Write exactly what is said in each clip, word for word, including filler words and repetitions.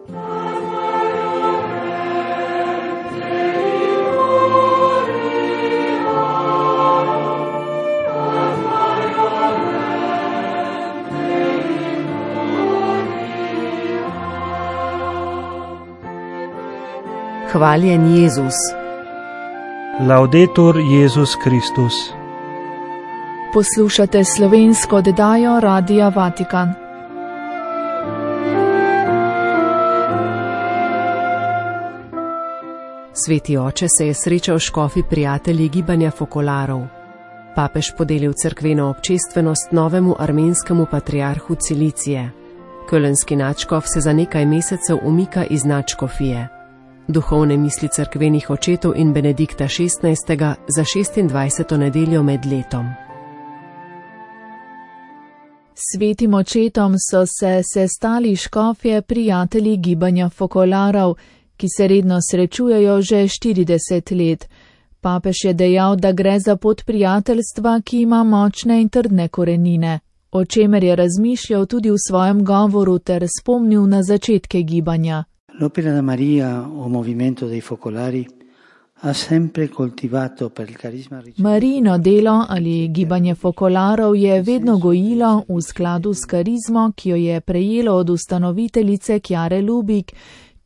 Hvaljen Jezus. Laudetur Jezus Kristus. Poslušate slovensko oddajo Radia Vatikan. Sveti oče se je srečal s škofi prijatelji gibanja Fokolarov. Papež podelil cerkveno občestvenost novemu armenskemu patriarhu Cilicije. Kölnski nadškof se za nekaj mesecev umika iz nadškofije. Duhovne misli cerkvenih očetov in Benedikta šestnajstega za šestindvajseto nedeljo med letom. Svetim očetom so se sestali škofje prijatelji gibanja Fokolarov, ki se redno srečujejo že štirideset let. Papež je dejal, da gre za pot prijateljstva, ki ima močne in trdne korenine, o čemer je razmišljal tudi v svojem govoru ter spomnil na začetke gibanja. L'Opera da Maria o Movimento dei Focolari ha sempre coltivato per il carisma ricevuto. Marijino delo ali gibanje Fokolarov je vedno gojilo v skladu s karizmo, ki jo je prejelo od ustanoviteljice Chiare Lubich,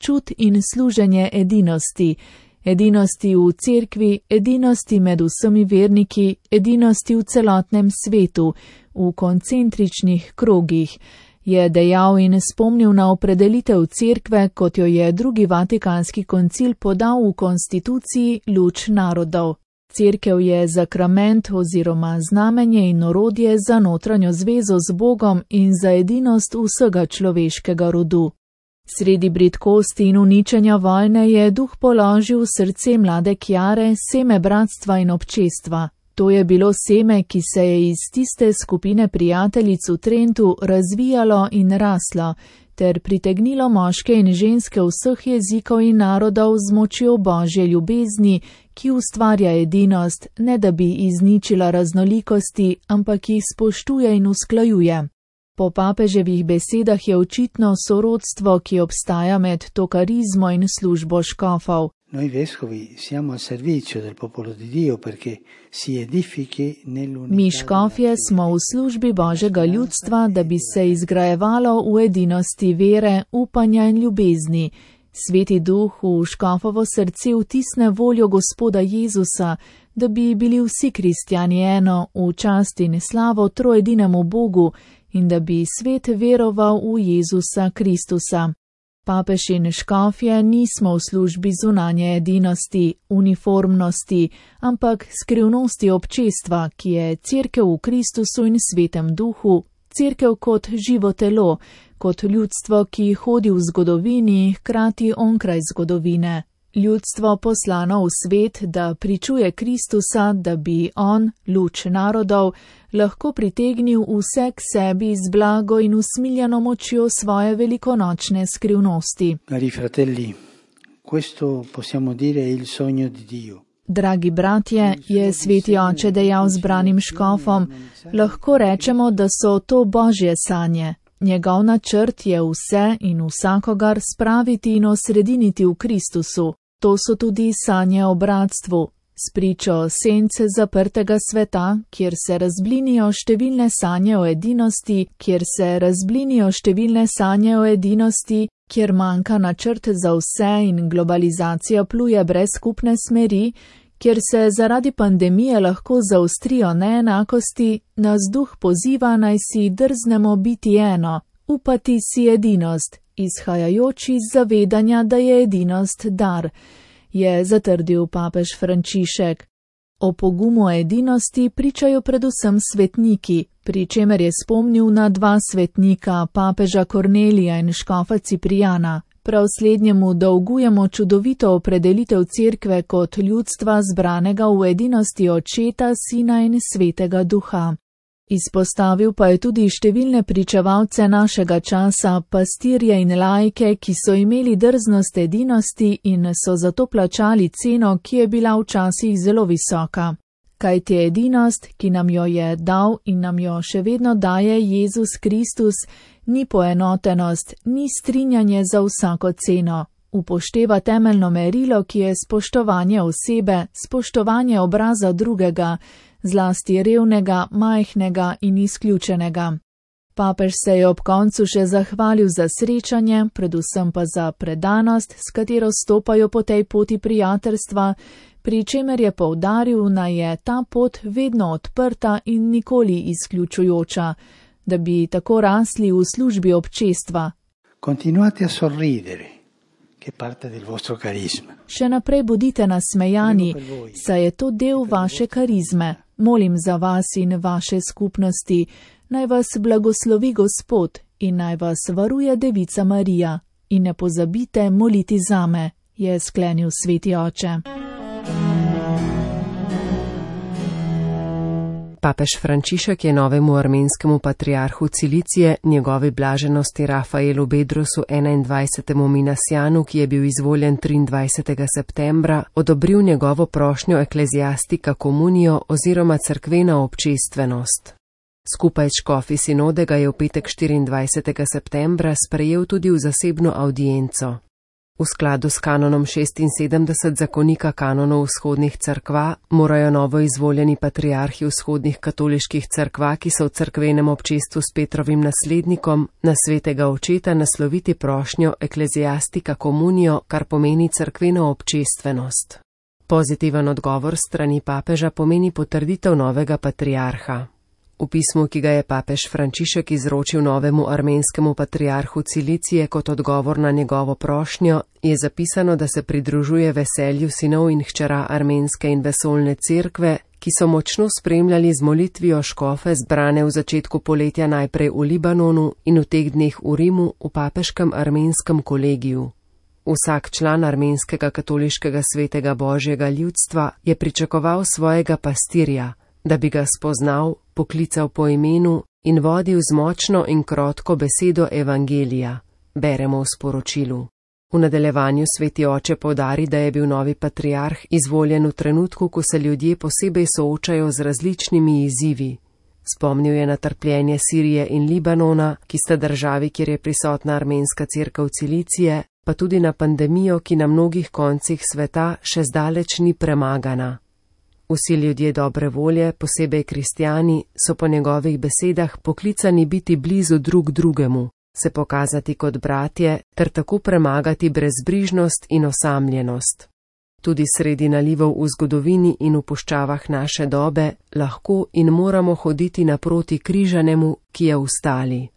čut in služenje edinosti. Edinosti v cerkvi, edinosti med vsemi verniki, edinosti v celotnem svetu, v koncentričnih krogih, je dejal in spomnil na opredelitev cerkve, kot jo je drugi vatikanski koncil podal v konstituciji Luč narodov. Cerkev je zakrament oziroma znamenje in orodje za notranjo zvezo z Bogom in za edinost vsega človeškega rodu. Sredi bridkosti in uničenja vojne je duh položil v srce mlade Chiare seme bratstva in občestva. To je bilo seme, ki se je iz tiste skupine prijateljic v Trentu razvijalo in raslo, ter pritegnilo moške in ženske vseh jezikov in narodov z močjo Božje ljubezni, ki ustvarja edinost, ne da bi izničila raznolikosti, ampak jih spoštuje in usklajuje. Po papeževih besedah je očitno sorodstvo, ki obstaja med to karizmo in službo škofov. Noi vescovi siamo al servizio del popolo di Dio perché si edifichi nell'unità. Mi škofje smo v službi Božjega ljudstva, da bi se izgrajevalo v edinosti vere, upanja in ljubezni. Sveti duh v škofovo srce vtisne voljo Gospoda Jezusa, da bi bili vsi kristjani eno v čast in slavo troedinemu Bogu in da bi svet veroval v Jezusa Kristusa. Papež in škofje nismo v službi zunanje edinosti, uniformnosti, ampak skrivnosti občestva, ki je cerkev v Kristusu in svetem duhu, cerkev kot živo telo, kot ljudstvo, ki hodi v zgodovini, hkrati onkraj zgodovine. Ljudstvo poslano v svet, da pričuje Kristusa, da bi on, luč narodov, lahko pritegnil vse k sebi z blago in usmiljeno močjo svoje velikonočne skrivnosti. Cari fratelli, questo possiamo dire è il sogno di Dio. Dragi bratje, je sveti oče dejal zbranim škofom, lahko rečemo, da so to Božje sanje. Njegov načrt je vse in vsakogar spraviti in osrediniti v Kristusu. To so tudi sanje o bratstvu, spričo sence zaprtega sveta, kjer se razblinijo številne sanje o edinosti, kjer se razblinijo številne sanje o edinosti, kjer manjka načrt za vse in globalizacija pluje brez skupne smeri, kjer se zaradi pandemije lahko zaostrijo neenakosti, nas duh poziva, naj si drznemo biti eno, upati si edinost, izhajajoč iz zavedanja, da je edinost dar, je zatrdil papež Frančišek. O pogumu edinosti pričajo predvsem svetniki, pri čemer je spomnil na dva svetnika, papeža Kornelija in škofa Ciprijana. Prav slednjemu dolgujemo čudovito opredelitev cerkve kot ljudstva zbranega v edinosti Očeta, Sina in Svetega Duha. Izpostavil pa je tudi številne pričevalce našega časa, pastirje in laike, ki so imeli drznost edinosti in so zato plačali ceno, ki je bila včasih zelo visoka. Kajti edinost, ki nam jo je dal in nam jo še vedno daje Jezus Kristus, Ni poenotenost, ni strinjanje za vsako ceno. Upošteva temeljno merilo, ki je spoštovanje osebe, spoštovanje obraza drugega, zlasti revnega, majhnega in izključenega. Papež se je ob koncu še zahvalil za srečanje, predvsem pa za predanost, s katero stopajo po tej poti prijateljstva, pri čemer je poudaril, da je ta pot vedno odprta in nikoli izključujoča, da bi tako rasli v službi občestva. Continuate a sorridere, che parte del vostro carisma. Še naprej bodite nasmejani, saj je to del vaše karizme. Molim za vas in vaše skupnosti. Naj vas blagoslovi Gospod in naj vas varuje Devica Marija. In ne pozabite moliti zame, je sklenil sveti oče. Papež Frančišek je novemu armenskemu patriarhu Cilicije, njegovi blaženosti Rafaelu Bedrosu enaindvajsetemu Minasjanu, ki je bil izvoljen triindvajsetega septembra, odobril njegovo prošnjo ekleziastika komunijo oziroma cerkvena občestvenost. Skupaj s škofi sinode ga je v petek štiriindvajsetega septembra sprejel tudi v zasebno avdienco. V skladu s kanonom šestinsedemdeset zakonika kanonov vzhodnih cerkva morajo novo izvoljeni patriarhi vzhodnih katoliških cerkva, ki so v cerkvenem občestvu s Petrovim naslednikom, na svetega očeta nasloviti prošnjo ekleziastika komunijo, kar pomeni cerkveno občestvenost. Pozitiven odgovor strani papeža pomeni potrditev novega patriarha. V pismu, ki ga je papež Frančišek izročil novemu armenskemu patriarhu Cilicije kot odgovor na njegovo prošnjo, je zapisano, da se pridružuje veselju sinov in hčera armenske in vesoljne cerkve, ki so močno spremljali z molitvijo škofe zbrane v začetku poletja najprej v Libanonu in v teh dneh v Rimu v papeškem armenskem kolegiju. Vsak član armenskega katoliškega svetega božjega ljudstva je pričakoval svojega pastirja, da bi ga spoznal, poklical po imenu in vodil z močno in krotko besedo evangelija, beremo v sporočilu. V nadaljevanju sveti oče poudari, da je bil novi patriarh izvoljen v trenutku, ko se ljudje posebej soočajo z različnimi izzivi. Spomnil je na trpljenje Sirije in Libanona, ki sta državi, kjer je prisotna armenska cerkev Cilicije, pa tudi na pandemijo, ki na mnogih koncih sveta še zdaleč ni premagana. Vsi ljudje dobre volje, posebej kristjani, so po njegovih besedah poklicani biti blizu drug drugemu, se pokazati kot bratje ter tako premagati brezbrižnost in osamljenost. Tudi sredi nalivov v zgodovini in v puščavah naše dobe lahko in moramo hoditi naproti križanemu, ki je vstali.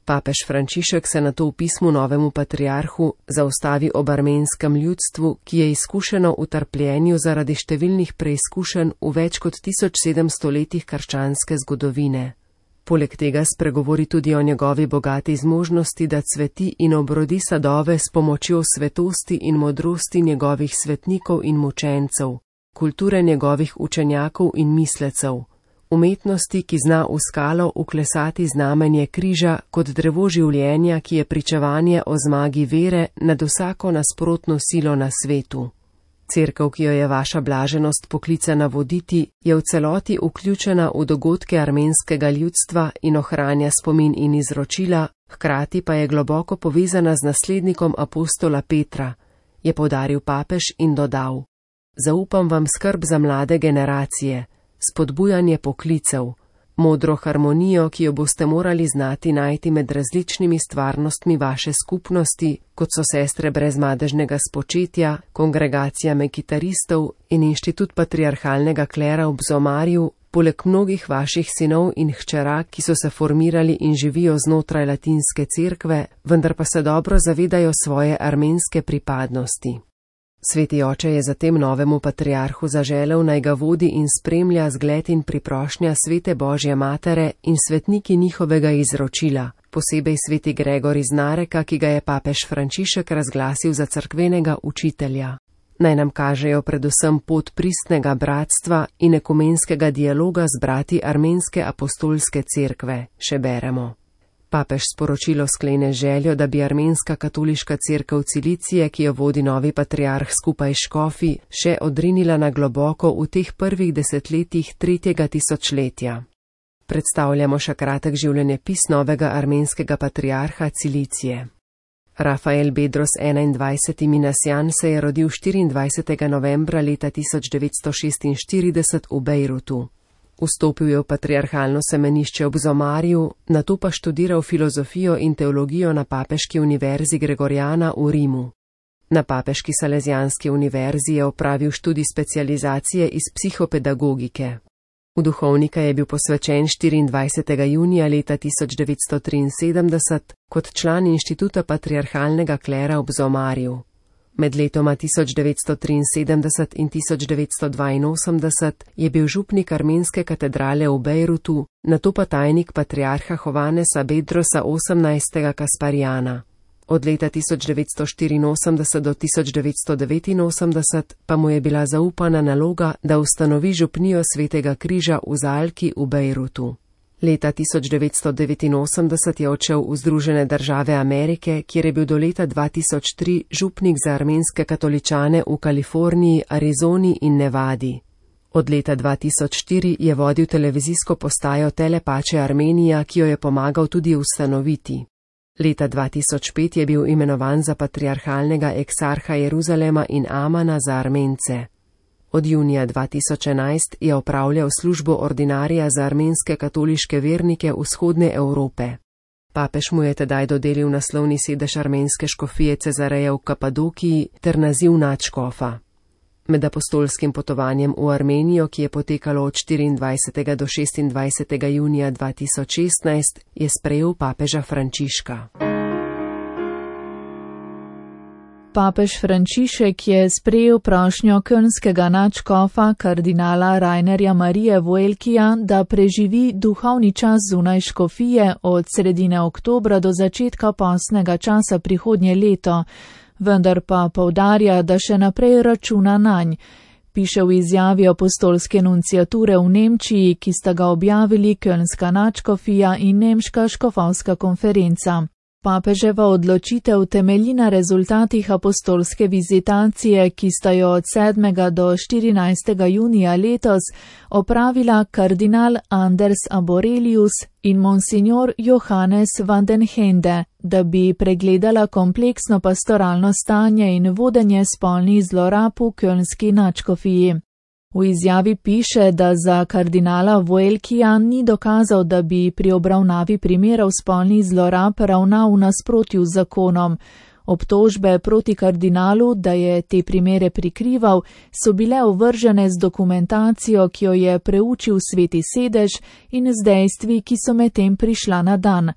Papež Frančišek se nato v pismu novemu patriarhu zaustavi ob armenskem ljudstvu, ki je izkušeno v trpljenju zaradi številnih preizkušenj v več kot tisoč sedemsto letih krščanske zgodovine. Poleg tega spregovori tudi o njegovi bogati zmožnosti, da cveti in obrodi sadove s pomočjo svetosti in modrosti njegovih svetnikov in mučencev, kulture njegovih učenjakov in mislecev, umetnosti, ki zna v skalo uklesati znamenje križa kot drevo življenja, ki je pričevanje o zmagi vere nad vsako nasprotno silo na svetu. Cerkev, ki jo je vaša blaženost poklicana voditi, je v celoti vključena v dogodke armenskega ljudstva in ohranja spomin in izročila, hkrati pa je globoko povezana z naslednikom apostola Petra, je poudaril papež in dodal: Zaupam vam skrb za mlade generacije, spodbujanje poklicev, modro harmonijo, ki jo boste morali znati najti med različnimi stvarnostmi vaše skupnosti, kot so sestre brezmadežnega spočetja, kongregacija mekitaristov in inštitut patriarhalnega klera v Bzomarju, poleg mnogih vaših sinov in hčera, ki so se formirali in živijo znotraj latinske cerkve, vendar pa se dobro zavedajo svoje armenske pripadnosti. Sveti oče je zatem novemu patriarhu zaželel, naj ga vodi in spremlja zgled in priprošnja svete Božje matere in svetniki njihovega izročila, posebej sveti Gregor iz Nareka, ki ga je papež Frančišek razglasil za cerkvenega učitelja. Naj nam kažejo predvsem pot pristnega bratstva in ekumenskega dialoga z brati armenske apostolske cerkve, še beremo. Papež sporočilo sklene željo, da bi armenska katoliška cerkev Cilicije, ki jo vodi novi patriarh skupaj s škofi, še odrinila na globoko v teh prvih desetletjih tretjega tisočletja. Predstavljamo še kratek življenjepis novega armenskega patriarha Cilicije. Rafael Bedros enaindvajseti Minasjan se je rodil štiriindvajsetega novembra leta tisoč devetsto šestinštirideset v Bejrutu. Vstopil je v patriarhalno semenišče ob Zomarju, nato pa študiral filozofijo in teologijo na Papeški univerzi Gregoriana v Rimu. Na Papeški Salezijanski univerzi je opravil študij specializacije iz psihopedagogike. V duhovnika je bil posvečen štiriindvajsetega junija leta tisoč devetsto triinsedemdeset kot član inštituta patriarhalnega klera ob Zomarju. Med letoma tisoč devetsto triinsedemdeset in tisoč devetsto dvainosemdeset je bil župnik armenske katedrale v Bejrutu, nato pa tajnik patriarha Hovanesa Bedrosa osemnajstega Kasparjana. Od leta tisoč devetsto štiriinosemdeset do tisoč devetsto devetinosemdeset pa mu je bila zaupana naloga, da ustanovi župnijo Svetega križa v Zalki v Bejrutu. Leta tisoč devetsto devetinosemdeset je odšel v Združene države Amerike, kjer je bil do leta dva tisoč tri župnik za armenske katoličane v Kaliforniji, Arizoni in Nevadi. Od leta dva tisoč štiri je vodil televizijsko postajo Telepače Armenija, ki jo je pomagal tudi ustanoviti. Leta dva tisoč pet je bil imenovan za patriarhalnega eksarha Jeruzalema in Amana za Armence. Od junija dva tisoč enajst je opravljal službo ordinarija za armenske katoliške vernike vzhodne Evrope. Papež mu je tedaj dodelil naslovni sedež armenske škofije Cezareja v Kapadokiji ter naziv nadškofa. Med apostolskim potovanjem v Armenijo, ki je potekalo od štiriindvajsetega do šestindvajsetega junija dva tisoč šestnajst, je sprejel papeža Frančiška. Papež Frančišek je sprejel prošnjo kölnskega nadškofa kardinala Rainerja Marije Voelkija, da preživi duhovni čas zunaj škofije od sredine oktobra do začetka postnega časa prihodnje leto, vendar pa poudarja, da še naprej računa nanj, piše v izjavi apostolske nunciature v Nemčiji, ki sta ga objavili kölnska nadškofija in nemška škofovska konferenca. Papeževa odločitev temelji na rezultatih apostolske vizitacije, ki sta jo od sedmega do štirinajstega junija letos opravila kardinal Anders Arborelius in monsignor Johannes van den Hende, da bi pregledala kompleksno pastoralno stanje in vodenje spolnih zlorab v kölnski nadškofiji. V izjavi piše, da za kardinala Voelkija ni dokazal, da bi pri obravnavi primerov spolnih zlorab ravnal v nasprotju z zakonom. Obtožbe proti kardinalu, da je te primere prikrival, so bile ovržene z dokumentacijo, ki jo je preučil Sveti sedež in z dejstvi, ki so medtem prišla na dan.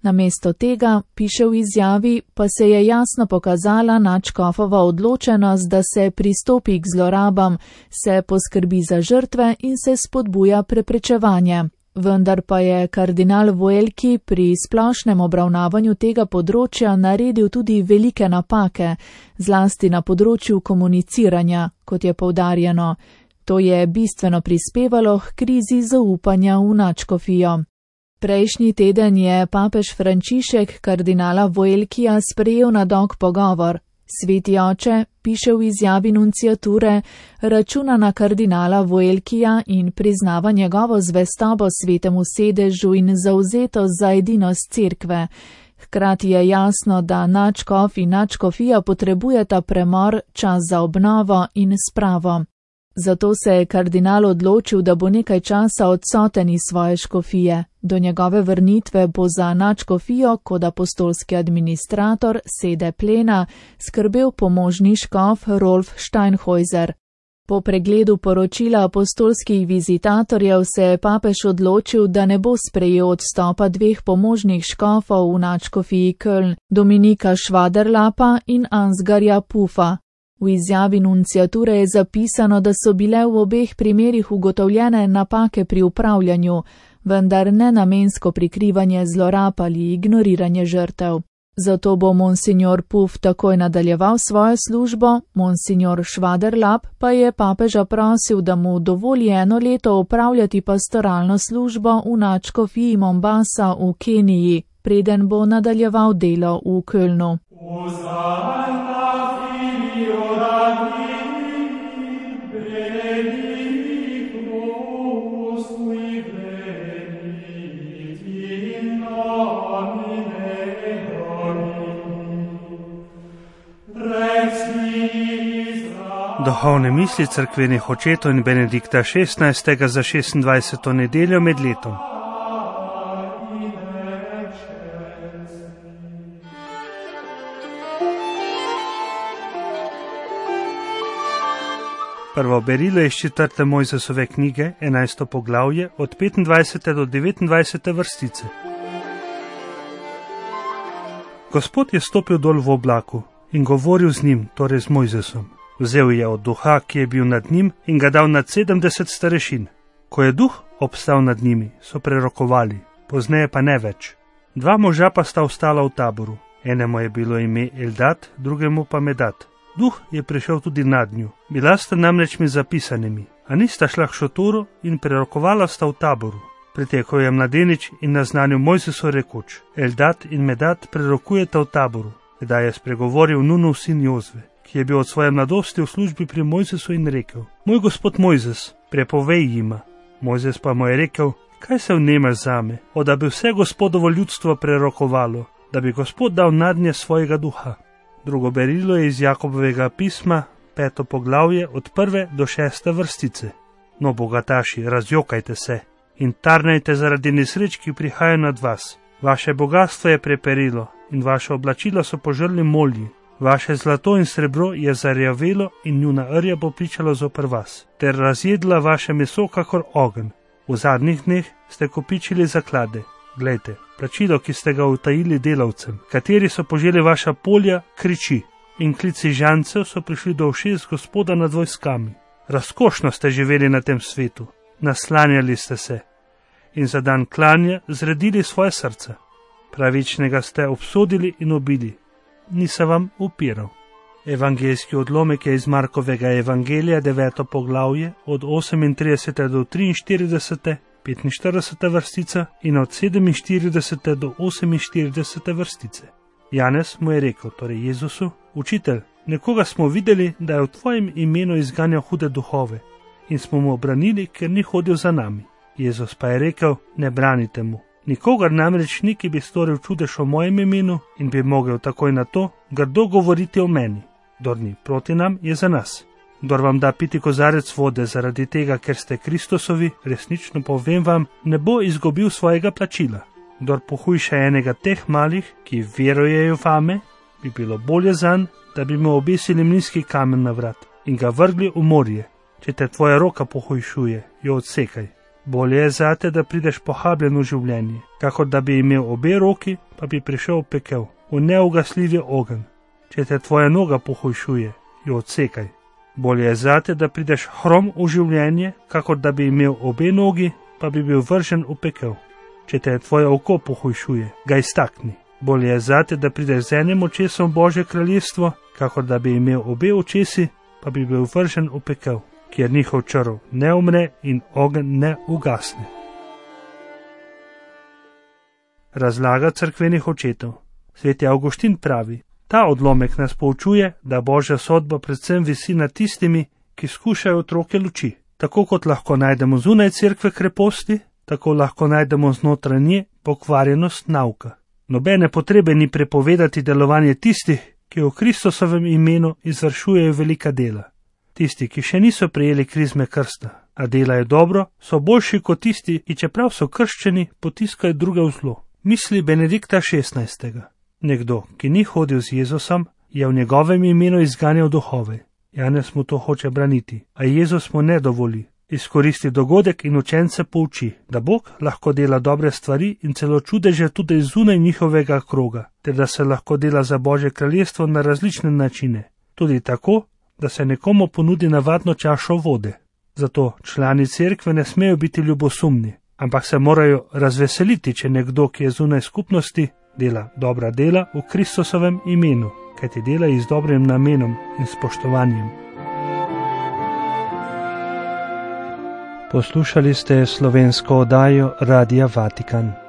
Namesto tega, piše v izjavi, pa se je jasno pokazala nadškofova odločenost, da se pristopi k zlorabam, se poskrbi za žrtve in se spodbuja preprečevanje. Vendar pa je kardinal Voelki pri splošnem obravnavanju tega področja naredil tudi velike napake, zlasti na področju komuniciranja, kot je poudarjeno. To je bistveno prispevalo k krizi zaupanja v nadškofijo. Prejšnji teden je papež Frančišek kardinala Voelkija sprejel na dolg pogovor. Sveti oče, piše v izjavi nunciature, računa na kardinala Voelkija in priznava njegovo zvestobo Svetemu sedežu in zavzetost za edinost cerkve. Hkrati je jasno, da nadškof in nadškofija potrebujeta premor, čas za obnovo in spravo. Zato se je kardinal odločil, da bo nekaj časa odsoten iz svoje škofije. Do njegove vrnitve bo za nadškofijo kot apostolski administrator sede plena skrbel pomožni škof Rolf Steinhäuser. Po pregledu poročila apostolskih vizitatorjev se je papež odločil, da ne bo sprejel odstopa dveh pomožnih škofov v nadškofiji Köln, Dominika Schwaderlapa in Ansgarja Pufa. V izjavi nunciature je zapisano, da so bile v obeh primerih ugotovljene napake pri upravljanju, vendar ne namensko prikrivanje zlorab ali ignoriranje žrtev. Zato bo monsignor Puf takoj nadaljeval svojo službo, monsignor Schwaderlap pa je papeža prosil, da mu dovoli eno leto opravljati pastoralno službo v nadškofiji Mombasa v Keniji, preden bo nadaljeval delo v Kölnu. Duhovne misli cerkvenih očetov in Benedikta šestnajstega za šestindvajseto nedeljo med letom. Prvo berilo je iz četrte Mojzesove knjige, enajsto poglavje, od petindvajsete do devetindvajsete vrstice. Gospod je stopil dol v oblaku in govoril z njim, torej z Mojzesom. Vzel je od duha, ki je bil nad njim, in ga dal nad sedemdeset starešin. Ko je duh obstal nad njimi, so prerokovali, pozneje pa ne več. Dva moža pa sta ostala v taboru. Enemu je bilo ime Eldad, drugemu pa Medad. Duh je prišel tudi nad njo. Bila sta namreč med zapisanimi, a nista šla k šotoru in prerokovala sta v taboru. Pritekel je mladenič in naznanil Mojzesu rekoč: Eldad in Medad prerokujeta v taboru. Kdaj je spregovoril Nunov sin Jozve, ki je bil od svoje mladosti v službi pri Mojzesu, in rekel: Moj gospod Mojzes, prepovej jima. Mojzes pa mu je rekel: Kaj se vnemaš zame, o da bi vse Gospodovo ljudstvo prerokovalo, da bi Gospod dal nadnje svojega duha. Drugo berilo je iz Jakobovega pisma, peto poglavje, od prve do šeste vrstice. No, bogataši, razjokajte se in tarnajte zaradi nesreč, ki prihajajo nad vas. Vaše bogatstvo je preperilo in vaše oblačila so požrli molji. Vaše zlato in srebro je zarjavelo in njuna rja bo pričala zoper vas, ter razjedla vaše meso kakor ogenj. V zadnjih dneh ste kopičili zaklade. Glejte, plačilo, ki ste ga utajili delavcem, kateri so poželi vaša polja, kriči, in klici žancev so prišli do ušes Gospoda nad vojskami. Razkošno ste živeli na tem svetu, naslanjali ste se in za dan klanja zredili svoje srca. Pravičnega ste obsodili in ubili, ni se vam upiral. Evangeljski odlomek je iz Markovega evangelija, deveto poglavje, od osemintridesete do triinštiridesete, petinštiridesete vrstica in od sedeminštiridesete do oseminštiridesete vrstice. Janez mu je rekel, torej Jezusu: Učitelj, nekoga smo videli, da je v tvojem imenu izganjal hude duhove, in smo mu obranili, ker ni hodil za nami. Jezus pa je rekel: Ne branite mu. Nikogar namreč ni, ki bi storil čudež o mojem imenu in bi mogel takoj na to grdo govoriti o meni. Kdor ni proti nam, je za nas. Kdor vam da piti kozarec vode zaradi tega, ker ste Kristusovi, resnično povem vam, ne bo izgubil svojega plačila. Kdor pohujša enega teh malih, ki verujejo vame, bi bilo bolje zanj, da bi mu obesili mlinski kamen na vrat in ga vrgli v morje. Če te tvoja roka pohujšuje, jo odsekaj. Bolje je zate, da prideš pohabljen v življenje, kakor da bi imel obe roki, pa bi prišel v pekel, v neugasljivi ogenj. Če te tvoja noga pohujšuje, jo odsekaj. Bolje je zate, da prideš hrom v življenje, kakor da bi imel obe nogi, pa bi bil vržen v pekel. Če te tvoje oko pohujšuje, ga iztakni. Bolje je zate, da prideš z enim očesom v Božje kraljestvo, kakor da bi imel obe očesi, pa bi bil vržen v pekel, kjer njihov črv ne umre in ogenj ne ugasne. Razlaga cerkvenih očetov. Sveti Avguštin pravi: Ta odlomek nas poučuje, da Božja sodba predvsem visi nad tistimi, ki skušajo otroke luči. Tako kot lahko najdemo zunaj cerkve kreposti, tako lahko najdemo znotraj nje pokvarjenost nauka. Nobene potrebe ni prepovedati delovanje tistih, ki v Kristusovem imenu izvršujejo velika dela. Tisti, ki še niso prejeli krizme krsta, a delajo dobro, so boljši kot tisti, ki čeprav so krščeni, potiskajo druge v zlo. Misli Benedikta šestnajstega. Nekdo, ki ni hodil z Jezusom, je v njegovem imenu izganjal duhove. Janez mu to hoče braniti, a Jezus mu ne dovoli. Izkoristi dogodek in učence pouči, da Bog lahko dela dobre stvari in celo čudeže tudi zunaj njihovega kroga, ter da se lahko dela za Božje kraljestvo na različne načine, tudi tako, da se nekomu ponudi navadno čašo vode. Zato člani cerkve ne smejo biti ljubosumni, ampak se morajo razveseliti, če nekdo, ki je zunaj skupnosti, dela dobra dela v Kristusovem imenu, kajti dela jih z dobrim namenom in spoštovanjem. Poslušali ste slovensko oddajo Radia Vatikan.